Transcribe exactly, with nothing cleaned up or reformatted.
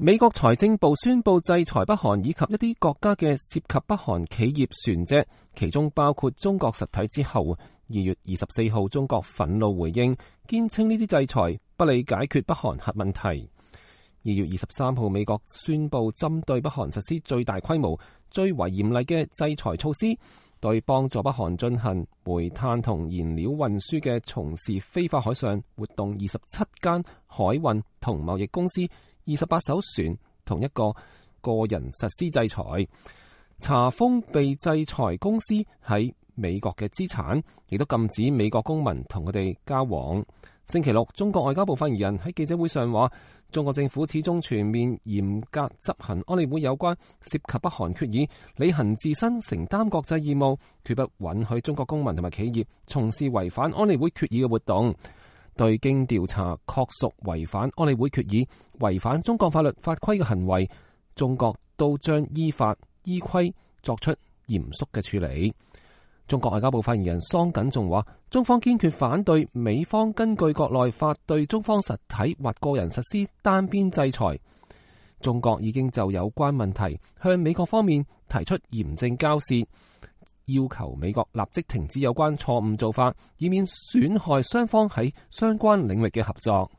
美國財政部宣布制裁北韓以及一啲國家嘅涉及北韓企業船隻，其中包括中國實體之後，二月二十四號中國憤怒回應，堅稱呢啲制裁不利解決北韓核問題。二月二十三號，美國宣布針對北韓實施最大規模、最為嚴厲嘅制裁措施，對幫助北韓進行煤炭同燃料運輸嘅從事非法海上活動二十七間海運同貿易公司、二十八艘船同一個個人實施制裁，查封被制裁公司喺美國嘅資產，亦都禁止美國公民同佢哋交往。星期六，中國外交部發言人喺記者會上話，中國政府始終全面嚴格執行安理會有關涉及北韓決議，履行自身承擔國際義務，決不允許中國公民同埋企業從事違反安理會決議嘅活動。對經調查確屬違反安理會決議、違反中國法律法規嘅行為，中國都將依法依規作出嚴肅嘅處理。中國外交部發言人桑謹仲話，中方堅決反對美方根據國內法對中方實體或個人實施單邊制裁。中國已經就有關問題向美國方面提出嚴正交涉，要求美國立即停止有關錯誤做法，以免損害雙方喺相關領域嘅合作。